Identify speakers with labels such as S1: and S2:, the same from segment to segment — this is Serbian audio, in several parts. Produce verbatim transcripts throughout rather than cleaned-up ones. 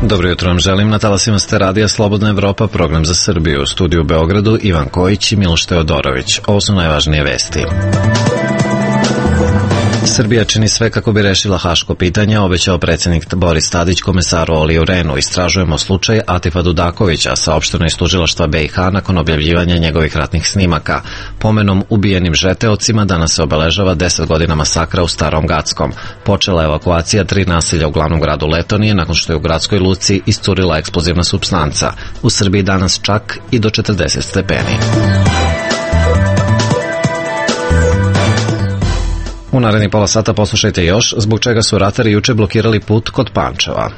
S1: Dobro jutro vam želim, na talasima ste radija Slobodna Evropa, program za Srbiju. U studiju u Beogradu Ivan Kojić i Miloš Teodorović. Ovo su najvažnije vesti. Srbija čini sve kako bi rešila haško pitanje, obećao predsjednik Boris Tadić komesaru Oliju Rehnu. Istražujemo slučaj Atifa Dudakovića, saopšteno iz tužilaštva B i H nakon objavljivanja njegovih ratnih snimaka. Pomenom ubijenim žeteocima danas se obeležava deset godina masakra u Starom Gackom. Počela je evakuacija tri naselja u glavnom gradu Letonije nakon što je u gradskoj luci iscurila eksplozivna supstanca. U Srbiji danas čak i do četrdeset stepeni. U narednih pola sata poslušajte još zbog čega su ratari juče blokirali put kod Pančeva.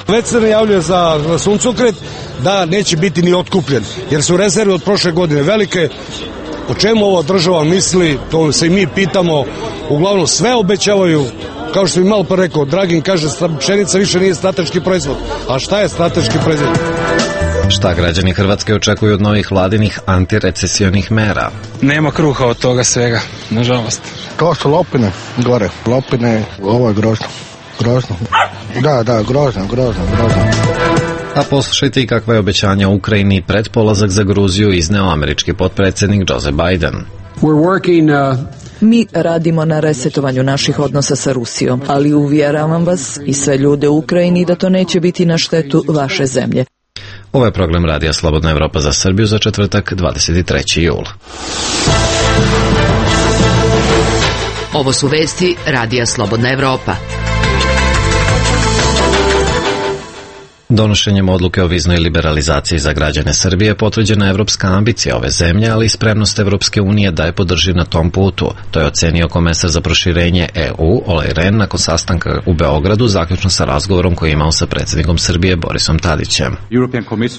S2: Već se najavljuje za suncokret da neće biti ni otkupljen, jer su rezerve od prošle godine velike. O čemu ova država misli, to se i mi pitamo. Uglavnom sve obećavaju, kao što bi malo pa rekao, Dragin kaže pšenica više nije strateški proizvod. A šta je strateški proizvod?
S1: Šta građani Hrvatske očekuju od novih vladinih antirecesionih mera?
S3: Nema kruha od toga svega, nažalost.
S4: To su lopine, gore. Lopine, ovo je grozno. Grozno. Da, da, grozno, grozno, grozno.
S1: A poslušajte i kakva je obećanja Ukrajini pred polazak za Gruziju izneo američki potpredsjednik Joe Biden.
S5: We're working, uh...
S6: Mi radimo na resetovanju naših odnosa sa Rusijom, ali uvjeravam vas i sve ljude u Ukrajini da to neće biti na štetu vaše zemlje.
S1: Ovo je program Radija Slobodna Evropa za Srbiju za četvrtak dvadeset treći jul.
S7: Ovo su vesti Radija Slobodna Evropa.
S1: Donošenjem odluke o viznoj liberalizaciji za građane Srbije potvrđena je evropska ambicija ove zemlje, ali i spremnost Evropske unije da je podrži na tom putu. To je ocenio komesar za proširenje E U, Olej Rehn, nakon sastanka u Beogradu, zaključno sa razgovorom koji je imao sa predsjednikom Srbije Borisom Tadićem.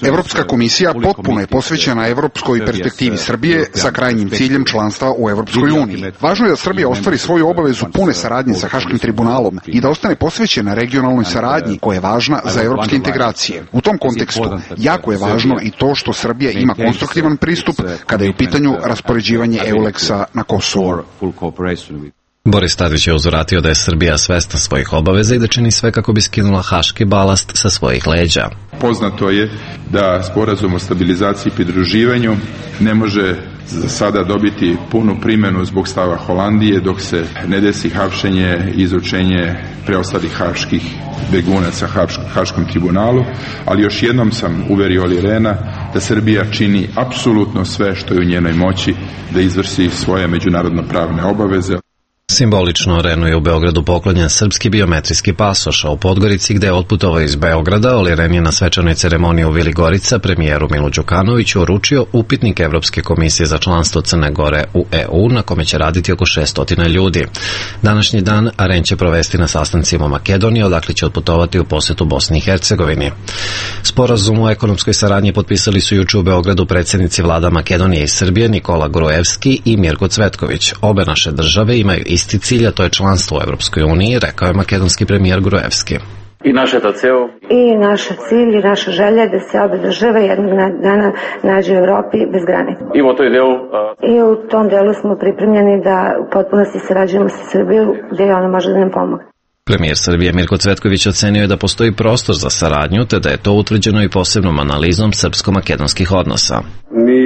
S8: Evropska komisija potpuno je posvećena evropskoj perspektivi Srbije sa krajnjim ciljem članstva u Evropskoj uniji. Važno je da Srbija ostvari svoju obavezu pune saradnje sa Haškim tribunalom i da ostane posvećena regionalnoj saradnji koja je važna za evropske integracije. U tom kontekstu jako je važno i to što Srbija ima konstruktivan pristup kada je u pitanju raspoređivanje EULEX-a na Kosovu.
S1: Boris Tadić je uzvratio da je Srbija svesna svojih obaveza i da čini sve kako bi skinula haški balast sa svojih leđa.
S9: Poznato je da sporazum o stabilizaciji i pridruživanju ne može za sada dobiti punu primjenu zbog stava Holandije dok se ne desi hapšenje i izručenje preostalih haških begunaca Haškom tribunalu, ali još jednom sam uverio Olija Rehna da Srbija čini apsolutno sve što je u njenoj moći da izvrši svoje međunarodno pravne obaveze.
S1: Simbolično Rehnu je u Beogradu poklonjen srpski biometrijski pasoš, a u Podgorici, gde je otputovao iz Beograda, Olija Rehn je na svečanoj ceremoniji u Vili Gorica premijeru Milu Đukanoviću uručio upitnik Evropske komisije za članstvo Crne Gore u E U, na kome će raditi oko šessto ljudi. Današnji dan Rehn će provesti na sastancima u Makedoniji, odakle će otputovati u posetu Bosni i Hercegovini. Sporazum o ekonomskoj saradnji potpisali su juče u Beogradu predsjednici vlada Makedonije i Srbije Nikola Gruevski i Mirko Cvetković. Obe naše države imaju isti cilj, a to je članstvo u Evropskoj uniji, rekao je makedonski premijer Gruevski.
S10: I naše to ceo.
S11: I naš cilj i naša želja da se obe države jednog dana nađu u Evropi bez granica.
S10: I u toj delu, a...
S11: I u tom delu smo pripremljeni da u potpunosti sarađujemo sa Srbijom gdje ona može da nam pomogne.
S1: Premijer Srbije Mirko Cvetković ocenio je da postoji prostor za saradnju, te da je to utvrđeno i posebnom analizom srpsko-makedonskih odnosa.
S12: Mi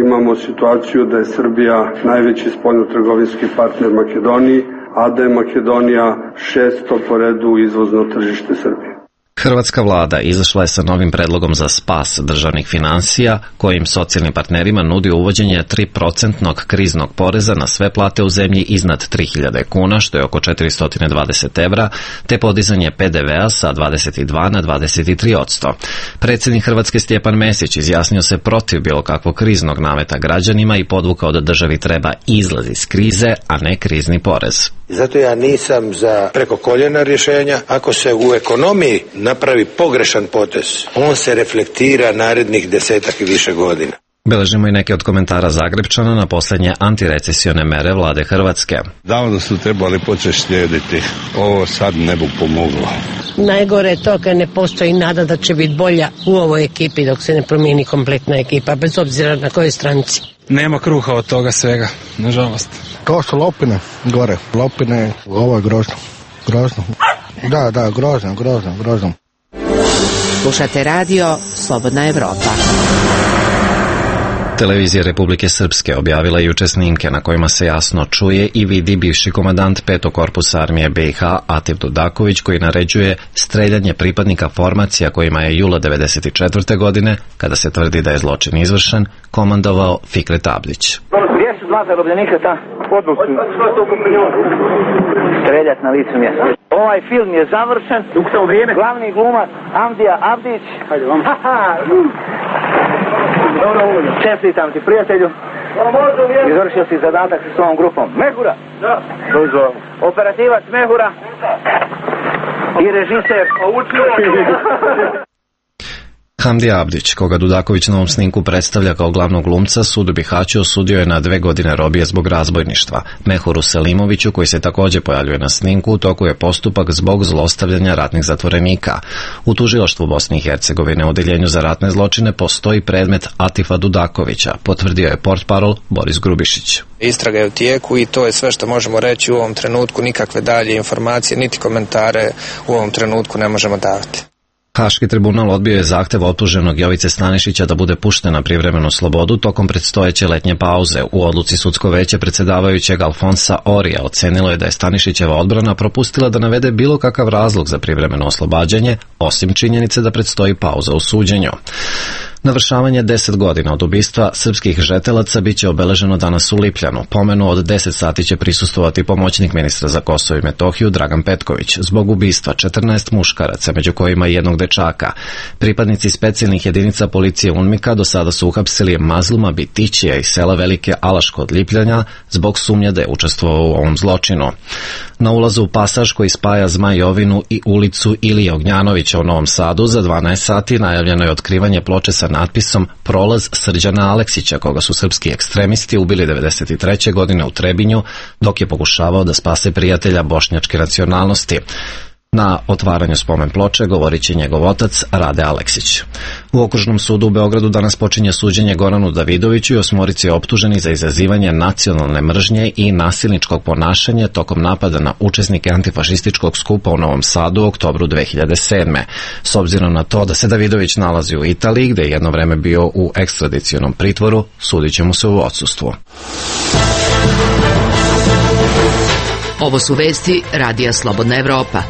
S12: imamo situaciju da je Srbija najveći spoljnotrgovinski partner Makedoniji, a da je Makedonija šesto po redu izvozno tržište Srbije.
S1: Hrvatska vlada izašla je sa novim predlogom za spas državnih finansija, kojim socijalnim partnerima nudi uvođenje tri procentnog kriznog poreza na sve plate u zemlji iznad tri hiljade kuna, što je oko četiristo dvadeset evra, te podizanje P D V-a sa dvadeset dva na dvadeset tri posto. Predsjednik Hrvatske Stjepan Mesić izjasnio se protiv bilo kakvog kriznog nameta građanima i podvukao da državi treba izlaz iz krize, a ne krizni porez.
S13: Zato ja nisam za preko koljena rješenja. Ako se u ekonomiji napravi pogrešan potez, on se reflektira narednih desetak i više godina.
S1: Beležimo i neke od komentara Zagrebčana na posljednje antirecesione mere vlade Hrvatske.
S14: Davno su trebali početi slijediti. Ovo sad ne bi pomoglo.
S5: Najgore je to kad ne postoji nada da će biti bolja u ovoj ekipi dok se ne promijeni kompletna ekipa, bez obzira na kojoj stranci.
S3: Nema kruha od toga svega, nažalost.
S4: To su lopine gore, lopine, ovo je grozno, grozno. Da, da, grozno, grozno, grozno.
S7: Slušate radio Slobodna Evropa.
S1: Televizija Republike Srpske objavila juče snimke na kojima se jasno čuje i vidi bivši komandant petog korpusa armije B i H Atif Dudaković koji naređuje streljanje pripadnika formacija kojima je jula devedeset četvrte godine, kada se tvrdi da je zločin izvršen, komandovao Fikret Abdić.
S14: Gdje su dva zarobljenika ta? Odnosu. Streljat na licu mjesta. Ovaj film je završen. Glavni glumac Amdija Abdić. Hajde vam. Dobro, čestitam ti, prijatelju. Izvršio si zadatak sa svojom grupom. Mehura. Da. Operativac Mehura. I režiser.
S1: Hamdi Abdić, koga Dudaković na ovom snimku predstavlja kao glavnog glumca, sud u Bihaću osudio je na dve godine robije zbog razbojništva. Mehuru Selimoviću, koji se također pojavljuje na snimku, u toku je postupak zbog zlostavljanja ratnih zatvorenika. U tužilaštvu Bosne i Hercegovine u odeljenju za ratne zločine postoji predmet Atifa Dudakovića, potvrdio je portparol Boris Grubišić.
S15: Istraga je u tijeku i to je sve što možemo reći u ovom trenutku, nikakve dalje informacije, niti komentare u ovom trenutku ne možemo davati.
S1: Haški tribunal odbio je zahtev optuženog Jovice Stanišića da bude pušten na privremenu slobodu tokom predstojeće letnje pauze. U odluci sudsko veće predsjedavajućeg Alfonsa Orija ocenilo je da je Stanišićeva odbrana propustila da navede bilo kakav razlog za privremeno oslobađanje, osim činjenice da predstoji pauza u suđenju. Navršavanje deset godina od ubistva srpskih žetelaca biće obeleženo danas u Lipljanu. Pomenu od deset sati će prisustvovati pomoćnik ministra za Kosovo i Metohiju Dragan Petković. Zbog ubistva četrnaest muškaraca, među kojima i jednog dečaka. Pripadnici specijalnih jedinica policije UNMIK-a do sada su uhapsili Mazluma Bitićija iz sela Velike Alaš kod Lipljanja zbog sumnje da je učestvovao u ovom zločinu. Na ulazu u pasaž koji spaja Zmajovinu i ulicu Ilije Ognjanovića u Novom Sadu za dvanaest sati najavljeno je otkrivanje ploče sa natpisom Prolaz Srđana Aleksića, koga su srpski ekstremisti ubili devedeset treće godine u Trebinju, dok je pokušavao da spase prijatelja bošnjačke nacionalnosti. Na otvaranju spomen ploče govorit će njegov otac Rade Aleksić. U Okružnom sudu u Beogradu danas počinje suđenje Goranu Davidoviću i osmorici optuženi za izazivanje nacionalne mržnje i nasilničkog ponašanja tokom napada na učesnike antifašističkog skupa u Novom Sadu u oktobru dve hiljade sedme. S obzirom na to da se Davidović nalazi u Italiji, gde je jedno vreme bio u ekstradicionom pritvoru, sudit će mu se u odsustvu.
S7: Ovo su vesti Radija Slobodna Evropa.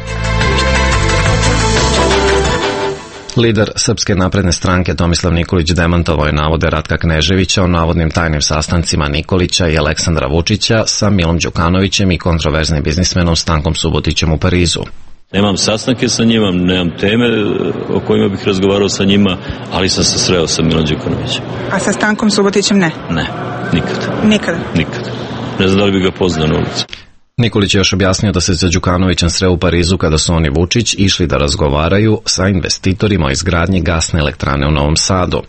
S1: Lider Srpske napredne stranke Tomislav Nikolić demantovao je navode Ratka Kneževića o navodnim tajnim sastancima Nikolića i Aleksandra Vučića sa Milom Đukanovićem i kontroverznim biznismenom Stankom Subotićem u Parizu.
S16: Nemam sastanke sa njima, nemam teme o kojima bih razgovarao sa njima, ali sam se sreo sa Milom Đukanovićem.
S17: A sa Stankom Subotićem ne?
S16: Ne, nikad.
S17: Nikada?
S16: Nikad. Ne znam da li bi ga poznao na ulici.
S1: Nikolić je još objasnio da se sa Đukanovićem sreo u Parizu kada su oni Vučić išli da razgovaraju sa investitorima o izgradnji gasne elektrane u Novom Sadu.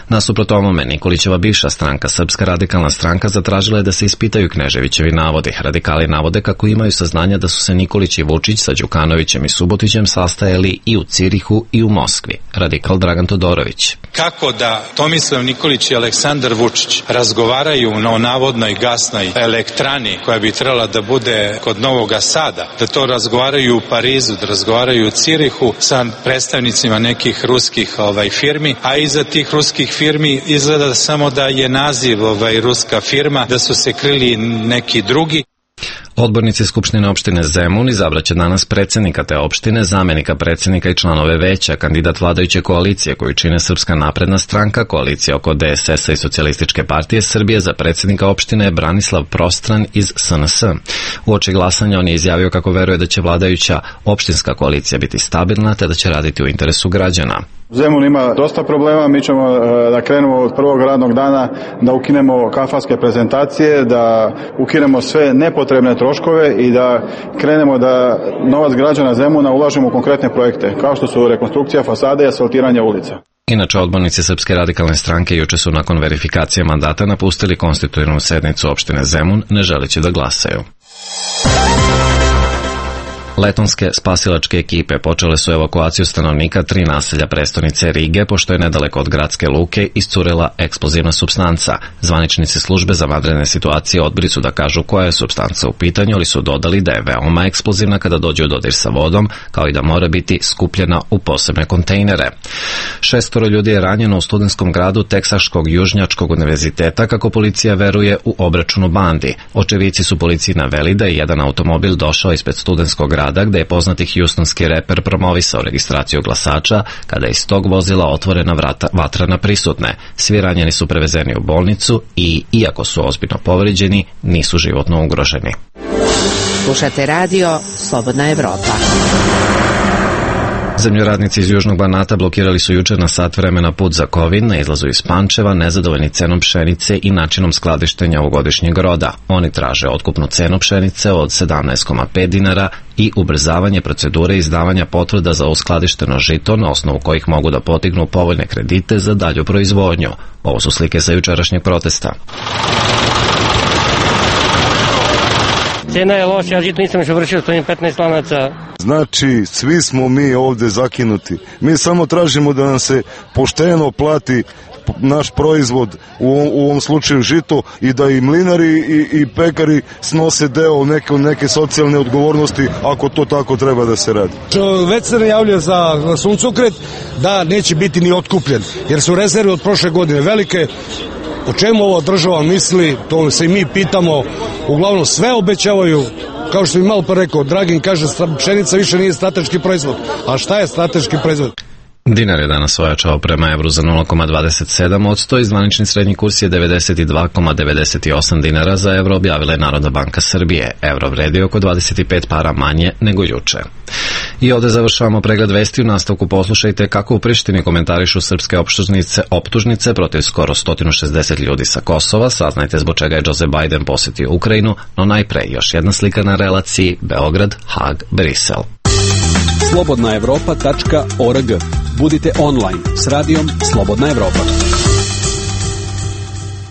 S1: Nasuprot ovome, Nikolićeva bivša stranka, Srpska radikalna stranka, zatražila je da se ispitaju Kneževićevi navodi. Radikali navode kako imaju saznanja da su se Nikolić i Vučić sa Đukanovićem i Subotićem sastajali i u Cirihu i u Moskvi. Radikal Dragan Todorović.
S18: Kako da Tomislav Nikolić i Aleksandar Vučić razgovaraju o navodnoj gasnoj elektrani koja bi trebala da bude kod Novog Sada, da to razgovaraju u Parizu, da razgovaraju u Cirihu sa predstavnicima nekih ruskih ovaj, firmi, a iza tih ruskih firmi izgleda samo da je naziv ovaj, ruska firma, da su se krili neki drugi.
S1: Odbornici Skupštine opštine Zemun izabraće danas predsjednika te opštine, zamenika predsjednika i članove veća. Kandidat vladajuće koalicije koju čine Srpska napredna stranka, koalicija oko D S S-a i Socijalističke partije Srbije za predsjednika opštine je Branislav Prostran iz S N S. Uoči glasanja on je izjavio kako veruje da će vladajuća opštinska koalicija biti stabilna te da će raditi u interesu građana.
S19: Zemun ima dosta problema, mi ćemo da krenemo od prvog radnog dana da ukinemo kafanske prezentacije, da ukinemo sve nepotrebne troškove i da krenemo da novac građana Zemuna ulažemo u konkretne projekte, kao što su rekonstrukcija fasade i asfaltiranje ulica.
S1: Inače, odbornici Srpske radikalne stranke juče su nakon verifikacije mandata napustili konstitutivnu sednicu opštine Zemun, ne želeći da glasaju. Letonske spasilačke ekipe počele su evakuaciju stanovnika tri naselja prestonice Rige, pošto je nedaleko od gradske luke iscurela eksplozivna supstanca. Zvaničnici službe za vanredne situacije odbili su da kažu koja je supstanca u pitanju, ali su dodali da je veoma eksplozivna kada dođe u dodir sa vodom, kao i da mora biti skupljena u posebne kontejnere. Šestoro ljudi je ranjeno u studentskom gradu Teksaškog južnjačkog univerziteta, kako policija veruje u obračunu bandi. Očevici su policiji naveli da je jedan automobil došao ispred studentskog grada, gde je poznati hjustonski reper promovisao registraciju glasača, kada je iz tog vozila otvorena vrata, vatra na prisutne. Svi ranjeni su prevezeni u bolnicu i, iako su ozbiljno povređeni, nisu životno ugroženi.
S7: Slušate radio Slobodna Evropa.
S1: Zemljoradnici iz Južnog Banata blokirali su juče na sat vremena put za Kovin na izlazu iz Pančeva, nezadovoljni cenom pšenice i načinom skladištenja ovogodišnjeg roda. Oni traže otkupnu cenu pšenice od sedamnaest zarez pet dinara i ubrzavanje procedure izdavanja potvrda za uskladišteno žito, na osnovu kojih mogu da potignu povoljne kredite za dalju proizvodnju. Ovo su slike sa jučerašnjeg protesta.
S20: Cena je loša, ja žito nisam još vršio, stojim petnaest lanaca.
S21: Znači, svi smo mi ovde zakinuti. Mi samo tražimo da nam se pošteno plati naš proizvod, u, u ovom slučaju žito, i da i mlinari i, i pekari snose deo neke, neke socijalne odgovornosti, ako to tako treba da se radi.
S2: Već se najavljuje za suncokret da neće biti ni otkupljen, jer su rezerve od prošle godine velike. O čemu ova država misli, to se i mi pitamo. Uglavnom sve obećavaju, kao što bi malo pa rekao, Dragin kaže pšenica više nije strateški proizvod. A šta je strateški proizvod?
S1: Dinar je danas ojačao prema evru za nula zarez dvadeset sedam posto i zvanični srednji kurs je devedeset dva zarez devedeset osam dinara za evro, objavila je Narodna banka Srbije. Evro vredi oko dvadeset pet para manje nego juče. I ovde završavamo pregled vesti. U nastavku poslušajte kako u Prištini komentarišu srpske optužnice, optužnice protiv skoro sto šezdeset ljudi sa Kosova. Saznajte zbog čega je Joe Biden posetio Ukrajinu, no najpre još jedna slika na relaciji Beograd-Hag-Brisel.
S22: slobodna evropa tačka org. Budite online s radijom Slobodna Evropa.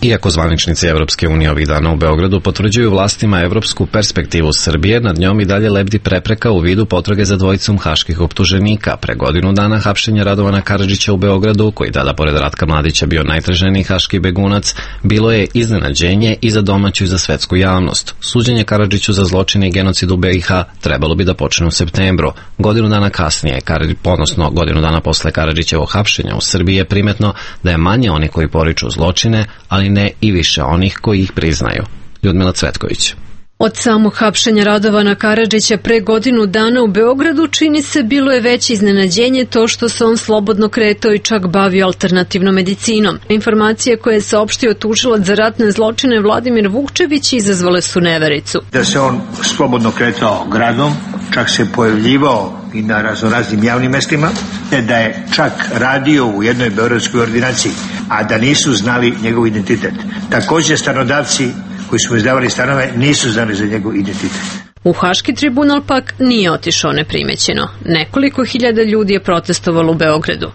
S1: Iako zvaničnici Evropske unije ovih dana u Beogradu potvrđuju vlastima evropsku perspektivu Srbije, nad njom i dalje lebdi prepreka u vidu potrage za dvojicom haških optuženika. Pre godinu dana hapšenja Radovana Karadžića u Beogradu, koji tada pored Ratka Mladića bio najtraženiji haški begunac, bilo je iznenađenje i za domaću i za svetsku javnost. Suđenje Karadžiću za zločine i genocid u B i H trebalo bi da počne u septembru. Godinu dana kasnije, ponosno godinu dana posle Karadžićevog hapšenja u Srbiji, je primetno da je manje oni koji poriču zločine, ali ne i više onih koji ih priznaju. Ljudmila Cvetković.
S23: Od samog hapšenja Radovana Karadžića pre godinu dana u Beogradu čini se bilo je veće iznenađenje to što se on slobodno kretao i čak bavio alternativnom medicinom. Informacije koje je saopštio tužilac za ratne zločine Vladimir Vukčević izazvale su nevericu.
S24: Da se on slobodno kretao gradom, čak se pojavljivao i na raznoraznim javnim mestima, te da je čak radio u jednoj beogradskoj ordinaciji, a da nisu znali njegov identitet. Također stanodavci koji su mu izdavali stanove nisu znali za njegov identitet.
S23: U Haški tribunal pak nije otišao neprimećeno. Nekoliko hiljada ljudi je protestovalo u Beogradu.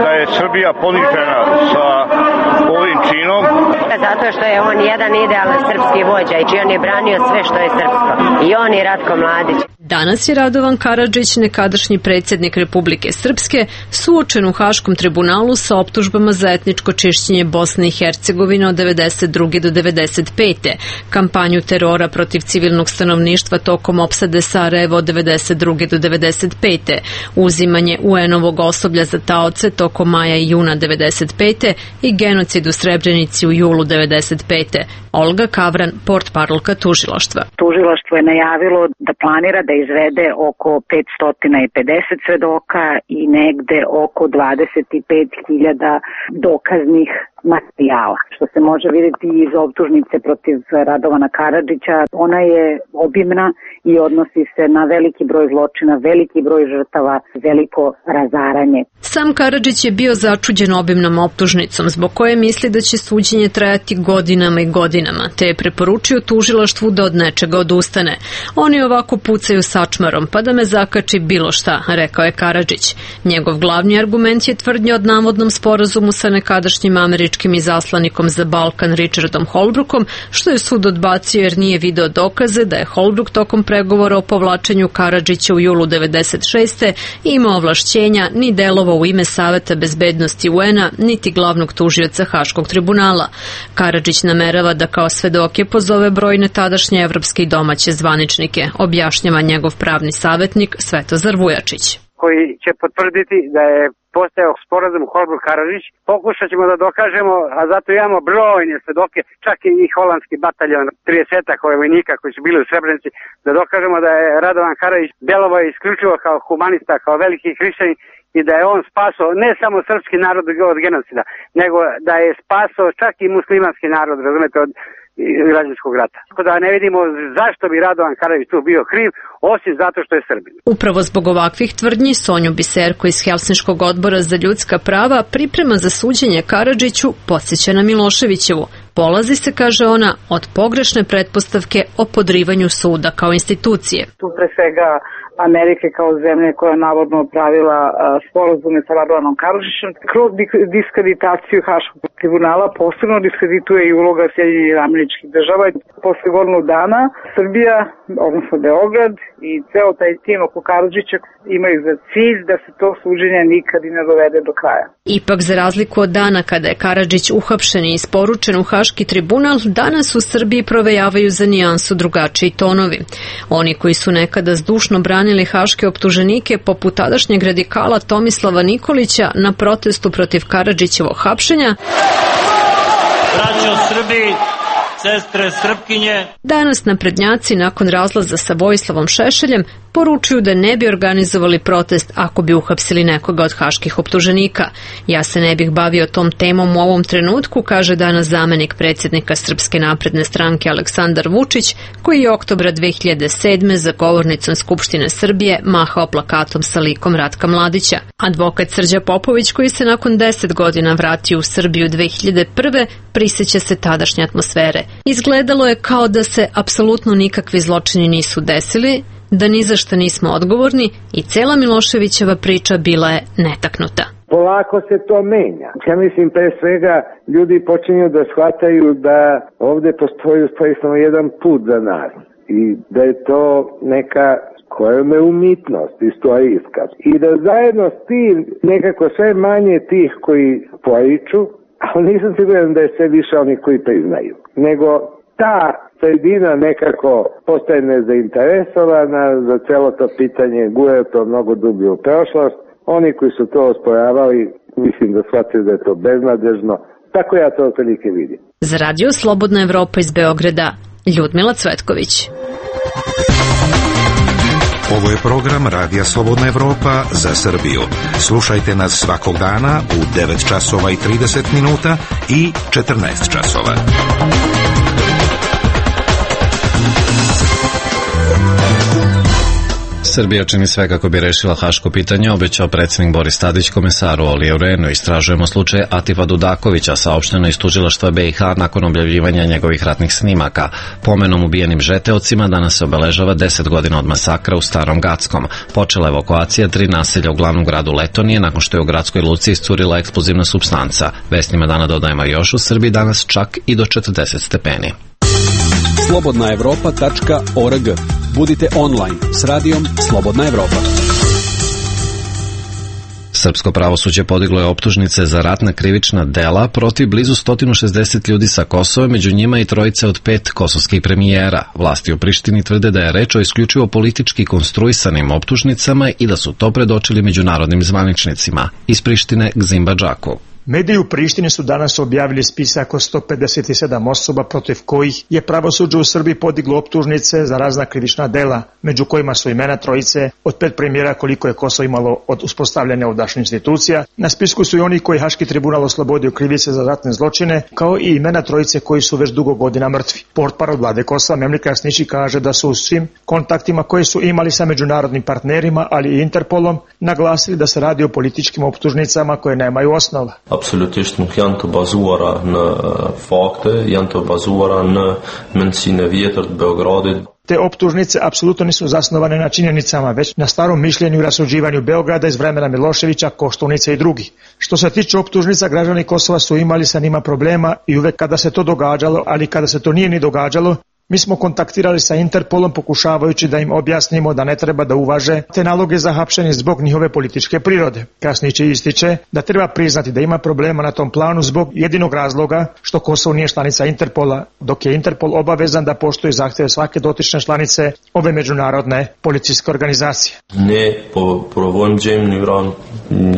S25: Da je Srbija ponižena sa ovim činom.
S11: Zato što je on jedan idealan srpski vođa i on je branio sve što je srpsko. I on je Ratko Mladić.
S23: Danas je Radovan Karadžić, nekadašnji predsjednik Republike Srpske, suočen u Haškom tribunalu sa optužbama za etničko čišćenje Bosne i Hercegovine od devedeset druge do devedeset pete, kampanju terora protiv civilnog stanovništva tokom opsade Sarajeva od devedeset druge do devedeset pete, uzimanje U N-ovog osoblja za taoce tokom maja i juna devedeset pete i genocid u Srebrenici u julu devedeset pete. Olga Kavran, portparolka tužilaštva.
S26: Tužilaštvo je najavilo da planira da izvede oko petsto pedeset svedoka i negde oko dvadeset pet hiljada dokaznih materijala. Što se može vidjeti iz optužnice protiv Radovana Karadžića, ona je obimna i odnosi se na veliki broj zločina, veliki broj žrtava, veliko razaranje.
S23: Sam Karadžić je bio začuđen obimnom optužnicom, zbog koje misli da će suđenje trajati godinama i godinama. godinama, te je preporučio tužilaštvu da od nečega odustane. Oni ovako pucaju sačmarom, pa da me zakači bilo šta, rekao je Karadžić. Njegov glavni argument je tvrdnja od navodnom sporazumu sa nekadašnjim američkim izaslanikom za Balkan Richardom Holbrookom, što je sud odbacio jer nije video dokaze da je Holbrook tokom pregovora o povlačenju Karadžića u julu devedeset šeste imao ovlašćenja ni delovao u ime Saveta bezbednosti U N-a, niti glavnog tužioca Haškog tribunala. Karadžić namerava da kao svedoke pozove brojne tadašnje evropske i domaće zvaničnike, objašnjava njegov pravni savjetnik Svetozar Vujačić.
S6: Koji će potvrditi da je postojao sporazum Holbrooke-Karadžić. Pokušat ćemo da dokažemo, a zato imamo brojne svedoke, čak i holandski bataljon, tridesetak vojnika koji su bili u Srebrenici, da dokažemo da je Radovan Karadžić delovao isključivo kao humanista, kao veliki hrišćanin i da je on spasao ne samo srpski narod od genocida, nego da je spasao čak i muslimanski narod, razumete, od građanskog rata. Tako da ne vidimo zašto bi Radovan Karadžić tu bio kriv, osim zato što je Srbin.
S23: Upravo zbog ovakvih tvrdnji Sonju Biserko iz Helsinškog odbora za ljudska prava priprema za suđenje Karadžiću podsjeća na Miloševićevu. Polazi se, kaže ona, od pogrešne pretpostavke o podrivanju suda kao institucije.
S26: Tu pre svega Amerike kao zemlje koja je navodno pravila sporazume sa Radovanom Karadžićem. Kroz diskreditaciju Haškog tribunala posebno diskredituje i uloga Sjedinjenih Američkih Država. Posle godinu dana Srbija, odnosno Beograd i ceo taj tim oko Karadžića imaju za cilj da se to suđenje nikad i ne dovede do kraja.
S23: Ipak, za razliku od dana kada je Karadžić uhapšen i isporučen u Haški tribunal, danas u Srbiji provejavaju za nijansu drugačiji tonovi. Oni koji su nekada zdušno branili haške optuženike, poput tadašnjeg radikala Tomislava Nikolića na protestu protiv Karadžićevog hapšenja,
S8: braćo Srbi, sestre Srpkinje.
S23: Danas naprednjaci nakon razlaza sa Vojislavom Šešeljem poručuju da ne bi organizovali protest ako bi uhapsili nekoga od haških optuženika. Ja se ne bih bavio tom temom u ovom trenutku, kaže danas zamenik predsjednika Srpske napredne stranke Aleksandar Vučić, koji je oktobra dve hiljade sedme za govornicom Skupštine Srbije mahao plakatom sa likom Ratka Mladića. Advokat Srđa Popović, koji se nakon deset godina vratio u Srbiju dve hiljade prve, prisjeća se tadašnje atmosfere. Izgledalo je kao da se apsolutno nikakvi zločini nisu desili, da ni za šta nismo odgovorni i cela Miloševićeva priča bila je netaknuta.
S9: Polako se to menja. Ja mislim, pre svega, ljudi počinju da shvataju da ovde postoji u stvari samo jedan put za nas i da je to neka koja je umjetnost istorijska. I da zajedno s tim nekako sve manje tih koji poriču, ali nisam siguran da je sve više oni koji priznaju, nego ta sredina nekako postaje nezainteresovana za celo to pitanje, gure to mnogo dublje u prošlost. Oni koji su to osporavali, mislim da shvataju da je to beznadežno. Tako ja to otprilike vidim.
S23: Za Radio Slobodna Evropa iz Beograda, Ljudmila Cvetković.
S10: Ovo je program Radija Slobodna Evropa za Srbiju. Slušajte nas svakog dana u devet časova i trideset minuta i četrnaest časova.
S1: Srbija čini sve kako bi rešila haško pitanje, obećao predsjednik Boris Tadić komesaru Oliju Rehnu. Istražujemo slučaj Atifa Dudakovića, saopšteno iz tužilaštva B i H nakon objavljivanja njegovih ratnih snimaka. Pomenom ubijenim žeteocima danas se obeležava deset godina od masakra u Starom Gackom. Počela evakuacija tri naselja u glavnom gradu Letonije nakon što je u gradskoj luci iscurila eksplozivna supstanca. Vestima dana dodajemo još u Srbiji danas čak i do četrdeset stepeni.
S22: slobodna evropa tačka org. Budite online s radijom Slobodna Evropa.
S1: Srpsko pravosuđe podiglo je optužnice za ratna krivična dela protiv blizu sto šezdeset ljudi sa Kosova, među njima i trojice od pet kosovskih premijera. Vlasti u Prištini tvrde da je reč o isključivo politički konstruisanim optužnicama i da su to predočili međunarodnim zvaničnicima. Iz Prištine Gzimba Džaku.
S12: Mediji u Prištini su danas objavili spisak od sto pedeset sedam osoba protiv kojih je pravosuđe u Srbiji podiglo optužnice za razna krivična dela, među kojima su imena trojice od pet premijera koliko je Kosovo imalo od uspostavljanja ovdašnjih institucija. Na spisku su i oni koji Haški tribunal oslobodio krivice za ratne zločine, kao i imena trojice koji su već dugo godina mrtvi. Portparol vlade Kosova Memlika Krasnići kaže da su u svim kontaktima koje su imali sa međunarodnim partnerima, ali i Interpolom, naglasili da se radi o političkim optužnicama koje nemaju osnova.
S3: absolutisht nuk janë të bazuara në fakte, janë të bazuara në mendsinë e vjetër të Beogradit.
S12: Te optužnice apsolutno nisu zasnovane na činjenicama, već na starom mišljenju i rasuđivanju Beograda iz vremena Miloševića, Koštunice i drugi. Što se tiče optužnica, građani Kosova su imali sa njima problema i uvek kada se to događalo, ali kada se to nije ni događalo, mi smo kontaktirali sa Interpolom pokušavajući da im objasnimo da ne treba da uvaže te naloge za hapšenje zbog njihove političke prirode. Kasnije će ističe da treba priznati da ima problema na tom planu zbog jedinog razloga što Kosovo nije članica Interpola, dok je Interpol obavezan da poštuje zahteve svake dotične članice ove međunarodne policijske organizacije.
S3: Ne provojmë gjejmë në Iran,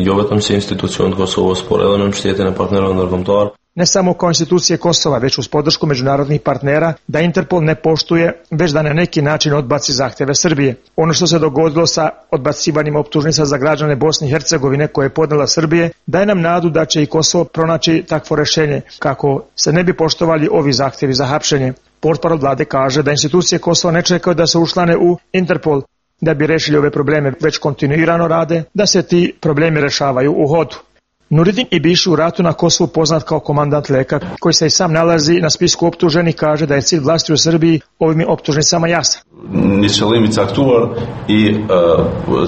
S3: jo vetëm si institucion të Kosovës, por edhe në mbështetjen e partnerëve ndërkombëtar.
S12: Ne samo kao institucije Kosova, već uz podršku međunarodnih partnera, da Interpol ne poštuje, već da na neki način odbaci zahtjeve Srbije. Ono što se dogodilo sa odbacivanjem optužnica za građane Bosne i Hercegovine koje je podnela Srbije, daje nam nadu da će i Kosovo pronaći takvo rešenje, kako se ne bi poštovali ovi zahtjevi za hapšenje. Portparol vlade kaže da institucije Kosova ne čekaju da se učlane u Interpol da bi rešili ove probleme, već kontinuirano rade da se ti problemi rešavaju u hodu. Nuridin Ibiši u ratu na Kosovu poznat kao komandant Leka, koji se i sam nalazi na spisku optuženih, kaže da je cilj vlasti u Srbiji ovim optužnicama jasan.
S4: Një qëllim i caktuar i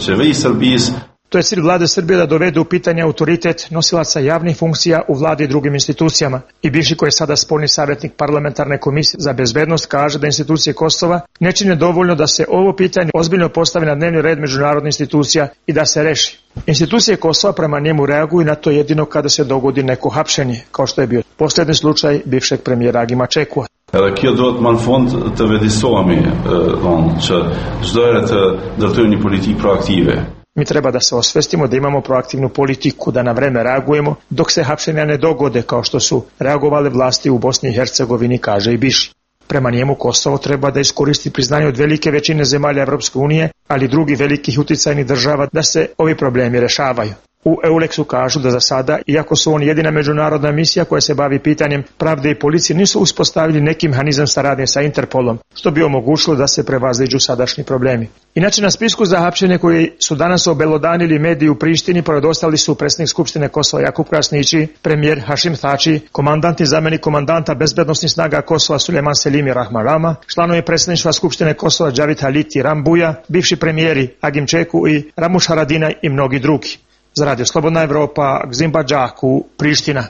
S4: qeveri Srbisë.
S12: To je cilj vlade Srbije da dovede u pitanje autoritet nosilaca javnih funkcija u vladi i drugim institucijama. Ibiši, koji je sada spoljni savjetnik parlamentarne komisije za bezbednost, kaže da institucije Kosova ne čine dovoljno da se ovo pitanje ozbiljno postavi na dnevni red međunarodnih institucija i da se reši. Institucije Kosova prema njemu reaguju na to jedino kada se dogodi neko hapšenje, kao što je bio posljednji slučaj bivšeg premijera Agima Čekua.
S4: Edhe kjo do të më në fund të vedisohemi, që çdo herë të ndërtojmë një politikë proaktive.
S12: Mi treba da se osvestimo da imamo proaktivnu politiku, da na vreme reagujemo dok se hapšenja ne dogode kao što su reagovale vlasti u Bosni i Hercegovini, kaže Ibiši. Prema njemu Kosovo treba da iskoristi priznanje od velike većine zemalja Evropske unije, ali i drugih velikih uticajnih država da se ovi problemi rešavaju. U Euleksu kažu da za sada, iako su oni jedina međunarodna misija koja se bavi pitanjem pravde i policije, nisu uspostavili neki mehanizam saradnje sa Interpolom, što bi omogućilo da se prevaziđu sadašnji problemi. Inače, na spisku za hapšenje koji su danas obelodanili mediji u Prištini, pored ostali su predsjednik Skupštine Kosova Jakub Krasnići, premijer Hašim Thači, komandant i zamjenik komandanta bezbednosnih snaga Kosova Sulejman Selimi Rahman Rama, članovi predsjedništva Skupštine Kosova Džavit Haliti Rambuja, bivši premijeri Agim Čeku i Ramuš Haradinaj i mnogi drugi. Za Radio Slobodna Evropa, Gzimba Džaku, Priština.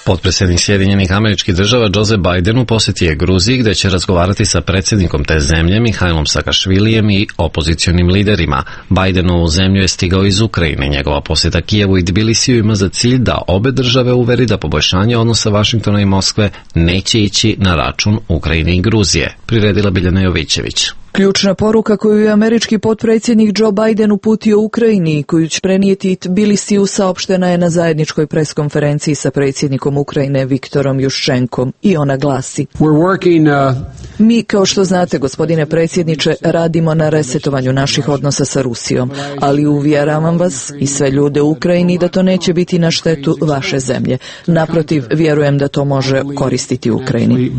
S1: Potpredsjednik Sjedinjenih Američkih Država Joe Biden u posjeti je Gruziji, gdje će razgovarati sa predsjednikom te zemlje Mihajlom Sakašvilijem i opozicionim liderima. Bidenu u zemlju je stigao iz Ukrajine. Njegova posjeta Kijevu i Tbilisiju ima za cilj da obe države uveri da poboljšanje odnosa Vašingtona i Moskve neće ići na račun Ukrajine i Gruzije, priredila Biljana Jovićević.
S5: Ključna poruka koju je američki potpredsjednik Joe Biden uputio Ukrajini i koju će prenijeti Tbilisiju saopštena je na zajedničkoj preskonferenciji sa predsjednikom Ukrajine Viktorom Juščenkom i ona glasi: working, uh... Mi, kao što znate, gospodine predsjedniče, radimo na resetovanju naših odnosa sa Rusijom, ali uvjeravam vas i sve ljude u Ukrajini da to neće biti na štetu vaše zemlje. Naprotiv, vjerujem da to može koristiti Ukrajini.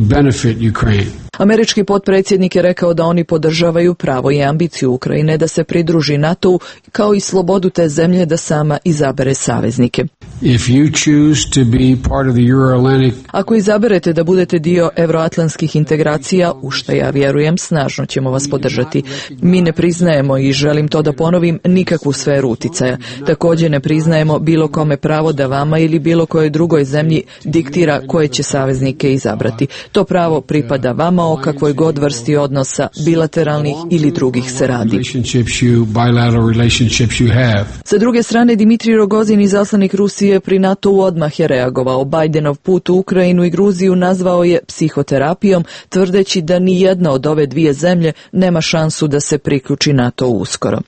S5: Američki potpredsjednik je rekao da oni podržavaju pravo i ambiciju Ukrajine da se pridruži NATO-u, kao i slobodu te zemlje da sama izabere saveznike.
S13: If you choose to be part of the Euro-Atlantic...
S5: Ako izaberete da budete dio evroatlantskih integracija, u što ja vjerujem, snažno ćemo vas podržati. Mi ne priznajemo, i želim to da ponovim, nikakvu sferu uticaja. Također ne priznajemo bilo kome pravo da vama ili bilo kojoj drugoj zemlji diktira koje će saveznike izabrati. To pravo pripada vama, o kakvoj god vrsti odnosa, bilateralnih ili drugih se radi. Sa druge strane, Dimitrij Rogozin, izaslanik Rusije pri NATO-u, odmah je reagovao. Bidenov put u Ukrajinu i Gruziju nazvao je psihoterapijom, tvrdeći da ni jedna od ove dvije zemlje nema šansu da se priključi NATO uskoro.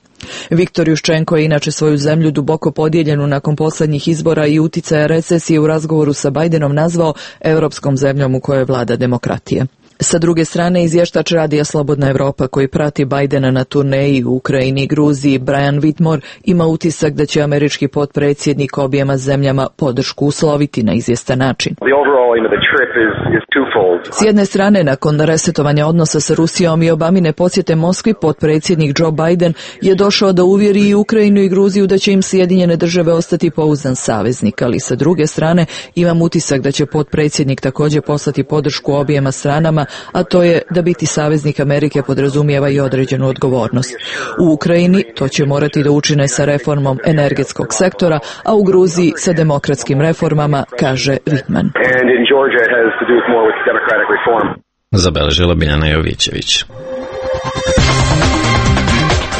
S5: Viktor Juščenko je inače svoju zemlju duboko podijeljenu nakon posljednjih izbora i uticaja recesije u razgovoru sa Bidenom nazvao europskom zemljom u kojoj vlada demokratija. Sa druge strane, izvještač Radija Slobodna Evropa koji prati Bajdena na turneji u Ukrajini i Gruziji, Brian Whitmore, ima utisak da će američki potpredsjednik objema zemljama podršku usloviti na izvjestan način. S jedne strane, nakon resetovanja odnosa sa Rusijom i Obamine posjete Moskvi, potpredsjednik Joe Biden je došao da uvjeri i Ukrajinu i Gruziju da će im Sjedinjene države ostati pouzdan saveznik, ali sa druge strane imam utisak da će potpredsjednik također poslati podršku objema stranama, a to je da biti saveznik Amerike podrazumijeva i određenu odgovornost. U Ukrajini to će morati da učine sa reformom energetskog sektora, a u Gruziji sa demokratskim reformama, kaže Whitman.
S1: Zabeležila Biljana Jovićević.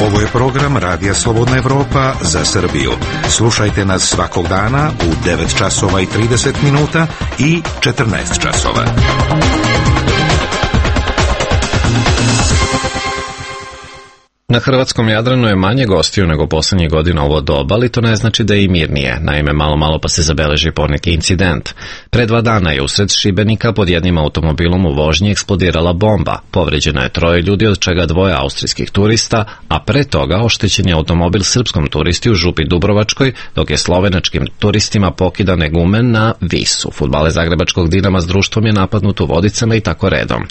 S10: Ovo je program Radija Slobodna Evropa za Srbiju. Slušajte nas svakog dana u devet časova i trideset minuta i četrnaest časova.
S1: Na hrvatskom Jadranu je manje gostiju nego posljednjih godina ovo doba, ali to ne znači da je i mirnije. Naime, malo malo pa se zabeleži poneki incident. Pre dva dana je usred Šibenika pod jednim automobilom u vožnji eksplodirala bomba. Povređeno je troje ljudi, od čega dvoje austrijskih turista, a pre toga oštećen je automobil srpskom turisti u Župi Dubrovačkoj, dok je slovenačkim turistima pokidan egumen na Visu. Fudbale zagrebačkog Dinama s društvom je napadnut u Vodicama i tako redom.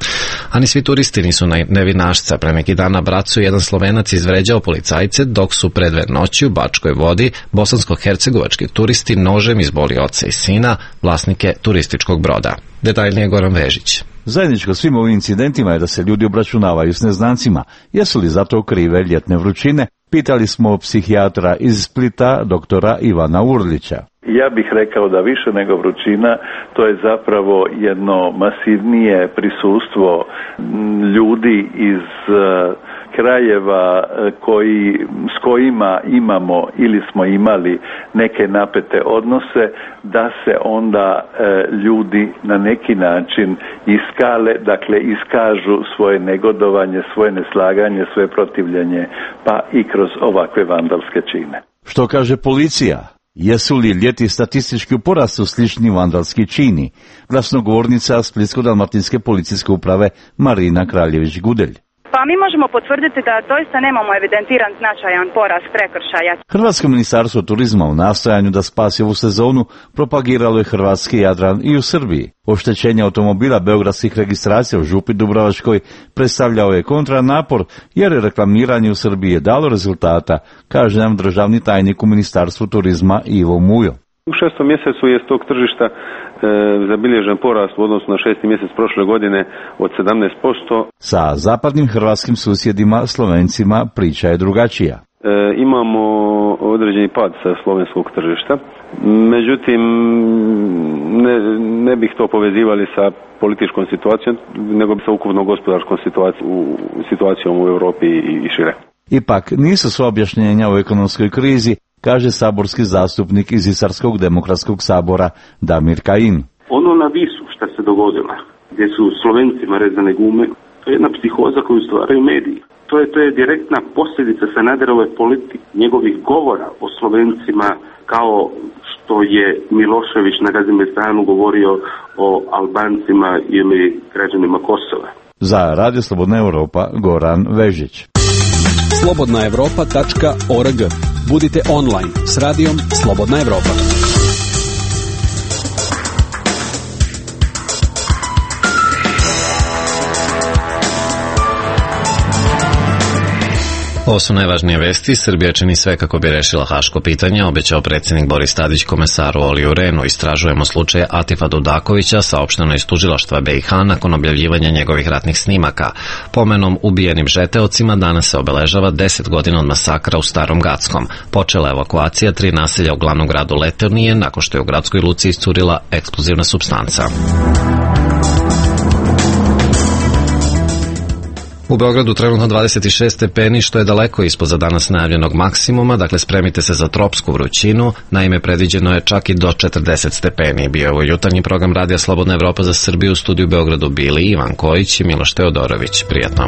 S1: A ni svi turisti nisu nevinašca. Pre neki dan na Bracu jedan Slovenac izvređao policajce, dok su pred dve noći u Bačkoj Vodi bosansko-hercegovački turisti nožem izboli oca i sina, vlasnike turističkog broda. Detaljnije Goran Vežić.
S14: Zajedničko svim ovim incidentima je da se ljudi obračunavaju s neznancima. Jesu li zato krive ljetne vrućine? Pitali smo psihijatra iz Splita, doktora Ivana Urlića.
S15: Ja bih rekao da više nego vrućina, to je zapravo jedno masivnije prisustvo ljudi iz krajeva koji, s kojima imamo ili smo imali neke napete odnose, da se onda e, ljudi na neki način iskale, dakle iskažu svoje negodovanje, svoje neslaganje, svoje protivljenje, pa i kroz ovakve vandalske čine.
S14: Što kaže policija? Jesu li ljeti statistički u porastu slični vandalski čini? Glasnogovornica Splitsko-dalmatinske policijske uprave Marina Kraljević-Gudelj.
S16: Pa mi možemo potvrditi da doista nemamo evidentiran značajan porast prekršaja.
S14: Hrvatsko ministarstvo turizma u nastojanju da spasi ovu sezonu propagiralo je hrvatski Jadran i u Srbiji. Oštećenje automobila beogradskih registracija u Župi Dubrovačkoj predstavljao je kontranapor, jer je reklamiranje u Srbiji je dalo rezultata, kaže nam državni tajnik u Ministarstvu turizma Ivo Mujo.
S17: U šestom mjesecu je s tog tržišta e, zabilježen porast u odnosu na šesti mjesec prošle godine od sedamnaest posto.
S14: Sa zapadnim hrvatskim susjedima, Slovencima, priča je drugačija.
S17: E, imamo određeni pad sa slovenskog tržišta, međutim ne, ne bih to povezivali sa političkom situacijom, nego sa ukupnom gospodarskom situacijom, situacijom u Europi i, i šire.
S14: Ipak nisu sva objašnjenja o ekonomskoj krizi, kaže saborski zastupnik iz Istarskog demokratskog sabora Damir Kajin.
S18: Ono na Visu što se dogodilo, gdje su Slovencima rezane gume, to je jedna psihoza koju stvaraju mediji. To je, to je direktna posljedica Sanaderove politike, njegovih govora o Slovencima, kao što je Milošević na Gazimestanu govorio o Albancima ili građanima Kosova.
S14: Za Radio Slobodna Evropa, Goran Vežić.
S22: slobodna evropa tačka org. Budite online s radijom Slobodna Evropa.
S1: Ovo su najvažnije vesti. Srbija čini sve kako bi rešila haško pitanje, obećao predsjednik Boris Tadić komesaru Oliju Rehnu. Istražujemo slučaj Atifa Dudakovića, saopšteno iz tužilaštva B i H nakon objavljivanja njegovih ratnih snimaka. Pomenom ubijenim žeteocima danas se obeležava deset godina od masakra u Starom Gackom. Počela je evakuacija tri naselja u glavnom gradu Leternije nakon što je u gradskoj luci iscurila eksplozivna supstanca. U Beogradu trenutno dvadeset šest stepeni, što je daleko ispod za danas najavljenog maksimuma, dakle spremite se za tropsku vrućinu, naime predviđeno je čak i do četrdeset stepeni. Bio je ovo jutarnji program Radija Slobodna Evropa za Srbiju, u studiju u Beogradu bili Ivan Kojić i Miloš Teodorović. Prijatno.